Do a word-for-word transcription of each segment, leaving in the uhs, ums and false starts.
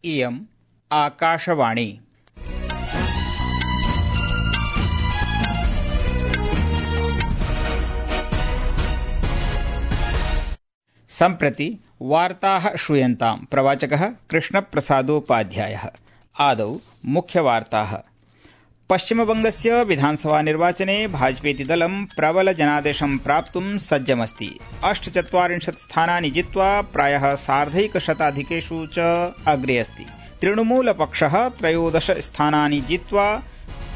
इयम् आकाशवाणी। सम्प्रति वार्ताः श्रूयन्ताम्। प्रवाचकः कृष्णप्रसादोपाध्यायः। आदौ मुख्यवार्ताः। पश्चिमबंगस्य विधानसभा निर्वाचने भाजपेति दलं प्रबल जनादेशं प्राप्तुं सज्जमस्ति। अष्टचत्वारिंशत् स्थानानि जित्वा प्रायः सार्धैकशताधिकेषु च अग्रे अस्ति। तृणमूलपक्षः त्रयोदश स्थानानि जित्वा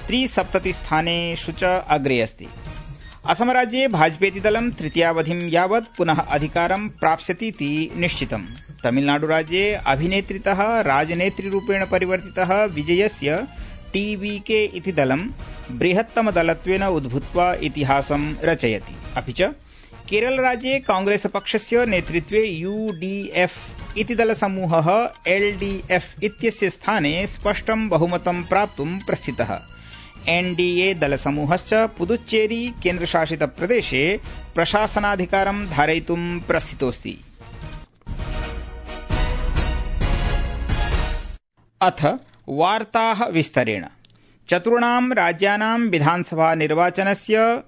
त्रिसप्ततिस्थानेषु च अग्रे अस्ति। असमराज्ये भाजपेति दलं तृतीयावधिं यावत् पुनः अधिकारं प्राप्स्यतीति निश्चितम्। तमिलनाडुराज्ये अभिनेत्रितः राजनेत्रीरूपेण परिवर्तितः विजयस्य टीवीके इति दलं बृहत्तमदलत्वेन उद्भूत्वा इतिहासं रचयति। अपि च केरलराज्ये कांग्रेसपक्षस्य नेतृत्वे यूडीएफ इति दलसमूहः एलडीएफ इत्यस्य स्थाने स्पष्टं बहुमतं प्राप्तुं प्रस्थितः। एनडीए दलसमूहश्च पुदुच्चेरी केन्द्रशासितप्रदेशे प्रशासनाधिकारं धारयितुं प्रस्थितोऽस्ति। अथ वार्ताः विस्तरेण। चतुर्णां राज्यानां विधानसभा निर्वाचनस्य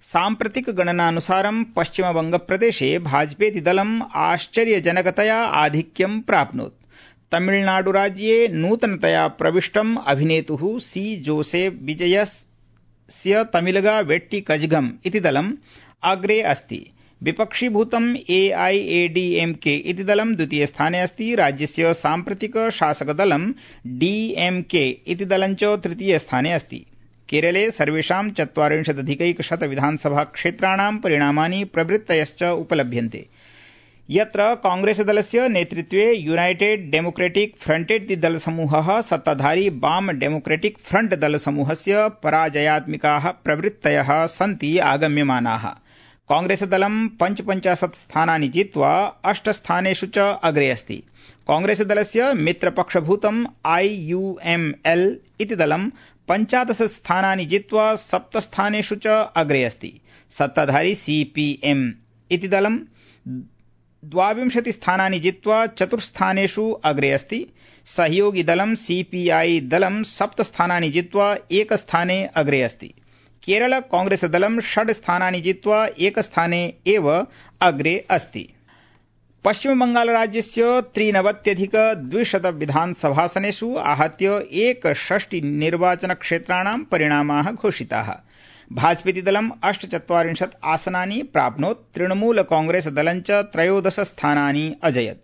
साम्प्रतिक गणनानुसारं पश्चिमबंगप्रदेशे भाजपेति दलम् आश्चर्यजनकतया आधिक्यं प्राप्नोत्। तमिलनाडुराज्ये नूतनतया प्रविष्टम् अभिनेतुः सी जोसेफ विजयस्य तमिलगा वेट्टी कजगम इति दलम् अग्रे अस्ति। विपक्षीभूतम् एआईएडीएमके इति दलं द्वितीये स्थाने अस्ति। राज्यस्य साम्प्रतिक शासकदलं डीएमके इति दलं च तृतीये स्थाने अस्ति। केरले सर्वेषां चत्वारिंशदधिकैकशत विधानसभा क्षेत्राणां परिणामानि प्रवृत्तयश्च उपलभ्यन्ते। यत्र कांग्रेसदलस्य नेतृत्वे यूनाइटेड डेमोक्रेटिक फ्रंट इति दलसमूहः सत्ताधारी वाम डेमोक्रेटिक फ्रंट दलसमूहस्य पराजयात्मिकाः प्रवृत्तयः सन्ति आगम्यमानाः। कांग्रेसदलं पञ्चपञ्चाशत् स्थानानि जित्वा अष्टस्थानेषु च अग्रे अस्ति। कांग्रेसदलस्य मित्रपक्षभूतम् आईयूएमएल इति दलं पञ्चादश स्थानानि जित्वा सप्तस्थानेषु च अग्रे अस्ति। सत्ताधारी सीपीएम इति दलं द्वाविंशति स्थानानि जित्वा चतुर्स्थानेषु अग्रे अस्ति। सहयोगी दलं सीपीआई दलं सप्त स्थानानि जित्वा एकस्थाने अग्रे अस्ति। केरल कांग्रेस दलं षड् स्थानानि जित्वा एकस्थाने एव अग्रे अस्ति। पश्चिमबंगालराज्यस्य त्रिनवत्यधिक द्विशत विधानसभासनेषु आहत्य एकषष्टि निर्वाचनक्षेत्राणां परिणामाः घोषिताः। भाजपेति दलम् अष्टचत्वारिंशत् आसनानि प्राप्नोत्। तृणमूल कांग्रेस दलं च त्रयोदश स्थानानि अजयत्।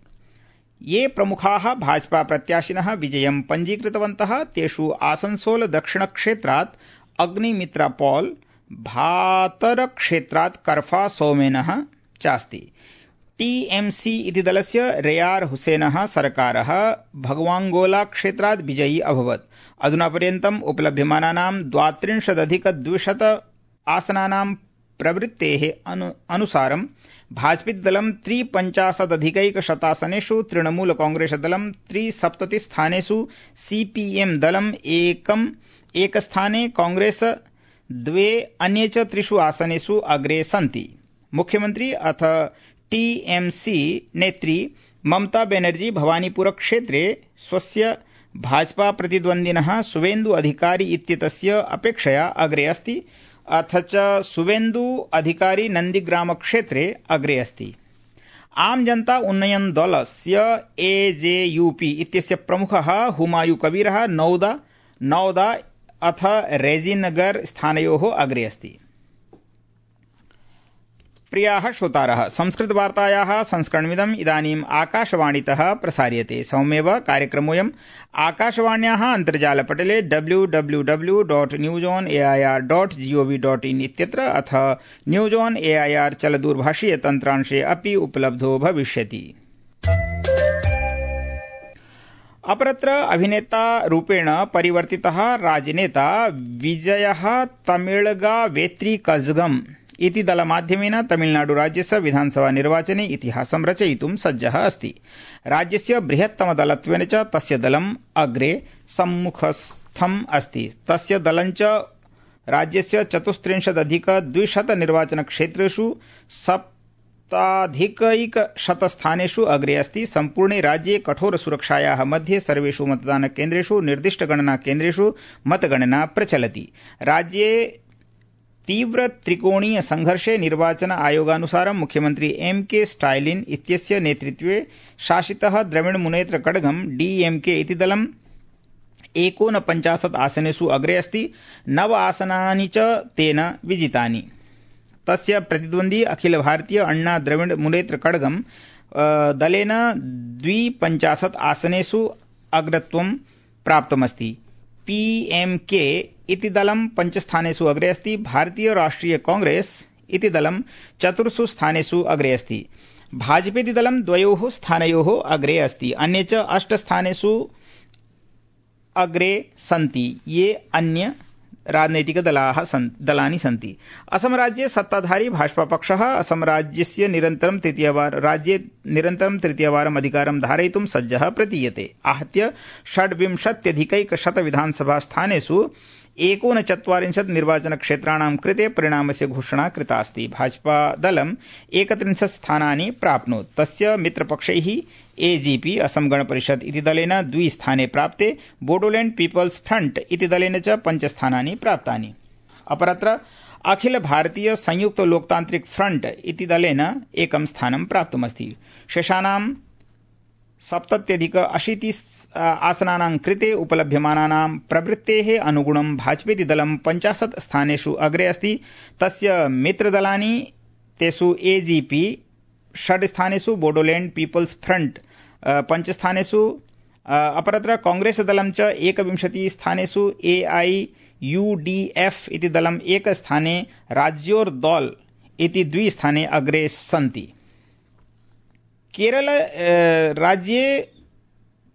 ये प्रमुखाः भाजपा प्रत्याशिनः विजयं पञ्जीकृतवन्तः तेषु आसनसोल दक्षिणक्षेत्रात् अग्निमित्रा पॉल, भातर क्षेत्रात् करफा सोमेनः चास्ति। टीएमसी इति दलस्य रेयार हुसैनः सरकारः भगवांगोला क्षेत्रात् विजयी अभवत्। अधुना पर्यन्तम् उपलभ्यमानानां द्वात्रिंशदधिक द्विशत आसनानां प्रवृत्तेः अनु, अनुसारं भाजपेति दलं त्रिपञ्चाशदधिकैकशतासनेषु, तृणमूल कांग्रेस दलं त्रिसप्ततिस्थानेषु, सीपीएम दलम् एकम् एकस्थाने, कांग्रेस द्वे, अन्ये च त्रिषु आसनेषु अग्रे सन्ति। मुख्यमंत्री अथ टीएमसी नेत्री ममता बेनर्जी भवानीपुर क्षेत्रे स्वस्य भाजपा प्रतिद्वन्दिनः शुवेन्दु अधिकारी इत्येतस्य अपेक्षया अग्रे अस्ति। अथ च शुवेन्दु अधिकारी नंदीग्राम क्षेत्रे अग्रे अस्ति। आम जनता उन्नयन दलस्य एजेयूपी इत्यस्य प्रमुखः हुमायूं कबीरः नौदा नौदा अथ रेजिनगर स्थानयोः अग्रे अस्ति। प्रियाः श्रोतारः, संस्कृतवार्तायाः संस्करणमिदम् इदानीम् आकाशवाणीतः प्रसार्यते। सममेव कार्यक्रमोऽयम् आकाशवाण्याः अन्तर्जालपटले W W W dot news on A I R dot gov dot in इत्यत्र अथ news on A I R चलदूरभाषीय तन्त्रांशे अपि उपलब्धो भविष्यति। अपरत्र अभिनेता रूपेण परिवर्तितः राजनेता विजयः तमिलगा वेट्टी कजगम इति दलमाध्यमेन तमिलनाडुराज्यस्य विधानसभा निर्वाचने इतिहासं रचयितुं सज्जः अस्ति। राज्यस्य बृहत्तमदलत्वेन च तस्य दलम् अग्रे सम्मुखस्थम् अस्ति। तस्य दलं च राज्यस्य चतुस्त्रिंशदधिक द्विशत निर्वाचनक्षेत्रेषु सप्ताधिकैकशतस्थानेषु अग्रे अस्ति। सम्पूर्णे राज्ये कठोर सुरक्षायाः मध्ये सर्वेषु मतदानकेन्द्रेषु निर्दिष्टगणनाकेन्द्रेषु मतगणना प्रचलति। राज्ये तीव्र त्रिकोणीय संघर्षे निर्वाचन आयोगानुसारं मुख्यमन्त्री एम के स्टालिन इत्यस्य नेतृत्वे शासितः द्रविड़ मुनेत्र कड़गम डीएमके इति दलम् एकोनपञ्चाशत् आसनेषु अग्रे अस्ति। नव आसनानि च तेन विजितानि। तस्य प्रतिद्वन्द्वी अखिल भारतीय अण्णा द्रविड़ मुनेत्र कड़गम दलेन द्विपञ्चाशत् आसनेषु अग्रत्वं प्राप्तमस्ति। पीएमके इति दलं पञ्चस्थानेषु अग्रे अस्ति। भारतीय राष्ट्रिय कांग्रेस इति दलं चतुर्षु स्थानेषु अग्रे अस्ति। भाजपेति दलं द्वयोः स्थानयोः अग्रे अस्ति। अन्ये च अष्टस्थानेषु अग्रे सन्ति। ये अन्य राजनैतिक दलाः दलानि सन्ति। असम राज्ये सत्ताधारी भाजपा पक्षः असम राज्यस्य निरन्तरं तृतीयवार राज्ये निरन्तरं तृतीयवारम् अधिकारं धारयितुं सज्जः प्रतीयते। आहत्य षड्विंशत्यधिकैकशत विधानसभा स्थानेषु एकोनचत्वारिंशत् निर्वाचनक्षेत्राणां कृते परिणामस्य घोषणा कृता अस्ति। भाजपा दलम् एकत्रिंशत् स्थानानि प्राप्नोत्। तस्य मित्रपक्षैः एजीपी असम गण परिषद इति दलेन द्वि स्थाने प्राप्ते। बोडोलैंड पीपल्स फ्रंट इति दलेन च पञ्चस्थानानि प्राप्तानि। अपरत्र अखिल भारतीय संयुक्त लोकतान्त्रिक फ्रंट इति दलेन एकं स्थानं प्राप्तमस्ति। शेषाणां सप्तत्यधिक अशीति आसनानां कृते उपलभ्यमानानां प्रवृत्तेः अनुगुणं भाजपेति दलं पञ्चाशत् स्थानेषु अग्रे अस्ति। तस्य मित्रदलानि तेषु एजीपी षड् स्थानेषु, बोडोलैंड पीपल्स फ्रंट पञ्चस्थानेषु, अपरत्र कांग्रेस दलं च एकविंशति स्थानेषु, एआईयूडीएफ इति दलम् एकस्थाने, राज्योर दौल इति द्विस्थाने अग्रे सन्ति। केरल राज्ये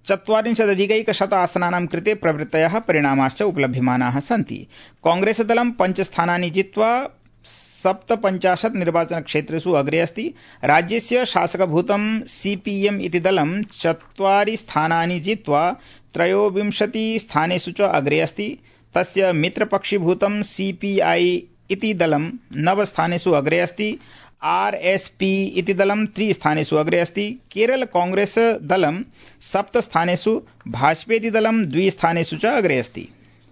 चत्वारिंशदधिकैकशत आसनानां कृते प्रवृत्तयः परिणामाश्च उपलभ्यमानाः सन्ति। कांग्रेस दलं पञ्चस्थानानि जित्वा सप्तपञ्चाशत् निर्वाचनक्षेत्रेषु अग्रे अस्ति। राज्यस्य शासकभूतं सीपीएम इति दलं चत्वारि स्थानानि जित्वा त्रयोविंशति स्थानेषु च अग्रे अस्ति। तस्य मित्रपक्षीभूतं सीपीआई इति दलं नव स्थानेषु अग्रे अस्ति। आरएसपी इति दलं त्रि स्थानेषु अग्रे अस्ति। केरल कांग्रेस दलं सप्त स्थानेषु, भाजपेति दलं द्वि स्थानेषु च अग्रे अस्ति।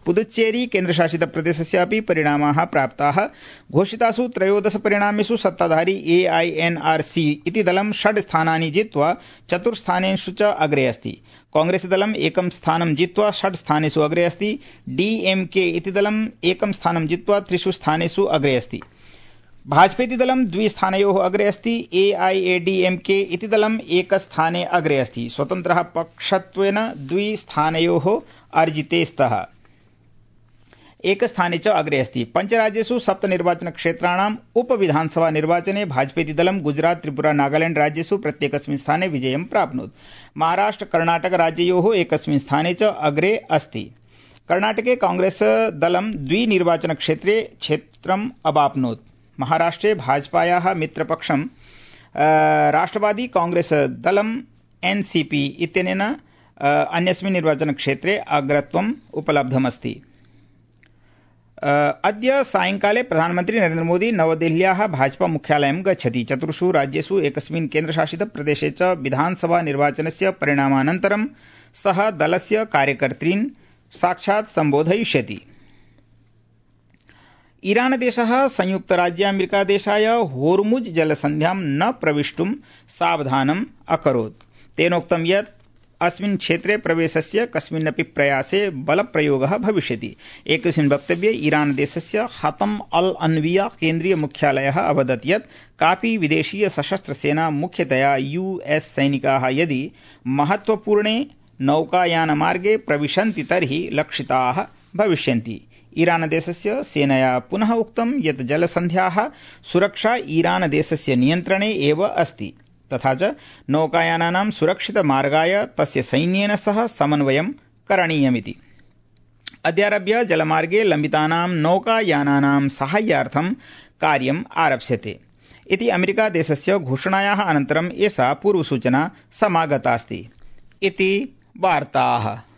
पुदुच्चेरी केन्द्रशासित प्रदेशस्य अपि परिणामाः प्राप्ताः। घोषितासु त्रयोदश परिणामेषु सत्ताधारी एआईएनआरसी इति दलं षड् स्थानानि जित्वा चतुर्स्थानेषु च अग्रे अस्ति। कांग्रेस दलम् एकं स्थानं जित्वा षड् स्थानेषु अग्रे अस्ति। डीएमके इति दलम् एकं स्थानं जित्वा त्रिषु स्थानेषु अग्रे अस्ति। भाजपेति दलं द्विस्थानयोः अग्रे अस्ति। एआईएडीएमके इति दलम् एकस्थाने अग्रे अस्ति। स्वतन्त्रः पक्षत्वेन द्विस्थानयोः अर्जिते स्तः एकस्थाने च अग्रे अस्ति। पञ्चराज्येषु सप्त निर्वाचनक्षेत्राणाम् उपविधानसभा निर्वाचने भाजपेति दलं गुजरात, त्रिपुरा, नागालैंड राज्येषु प्रत्येकस्मिन् स्थाने विजयं प्राप्नोत्। महाराष्ट्र, कर्णाटक राज्ययोः एकस्मिन् स्थाने च अग्रे अस्ति। कर्णाटके कांग्रेस दलं द्वि निर्वाचनक्षेत्रे क्षेत्रम् अवाप्नोत्। महाराष्ट्रे भाजपायाः मित्रपक्षं राष्ट्रवादी कांग्रेस दलं एनसीपी इत्यनेन अन्यस्मिन् निर्वाचनक्षेत्रे अग्रत्वम् उपलब्धमस्ति। अद्य सायंकाले प्रधानमन्त्री नरेन्द्र मोदी नवदेहल्याः भाजपा मुख्यालयं गच्छति। चतुर्षु राज्येषु एकस्मिन् केन्द्रशासित प्रदेशे च विधानसभा निर्वाचनस्य परिणामानन्तरं सः दलस्य कार्यकर्तॄन् साक्षात् सम्बोधयिष्यति। ईरान देशः संयुक्तराज्यामेरिकादेशाय होर्मुज जलसन्ध्यां न प्रवेष्टुं सावधानम् अकरोत्। तेनोक्तं यत् अस्मिन् क्षेत्रे प्रवेशस्य कस्मिन्नपि प्रयासे बलप्रयोगः भविष्यति। एकस्मिन् वक्तव्ये ईरान देशस्य हतम अल अन्विया केन्द्रीय मुख्यालयः अवदत् यत् कापि विदेशीय सशस्त्र सेना, मुख्यतया यूएस सैनिकाः यदि महत्वपूर्णे नौकायानमार्गे प्रविशन्ति तर्हि लक्षिताः भविष्यन्ति। ईरान देशस्य सेनया पुनः उक्तं यत् जलसन्ध्याः सुरक्षा ईरान देशस्य नियन्त्रणे एव अस्ति, तथा च नौकायानानां सुरक्षितमार्गाय तस्य सैन्येन सह समन्वयं करणीयमिति। अद्यारभ्य जलमार्गे लम्बितानां नौकायानानां साहाय्यार्थं कार्यम् आरप्स्यते इति अमेरिका देशस्य घोषणायाः अनन्तरम् एषा पूर्वसूचना समागतास्ति इति वार्ताः।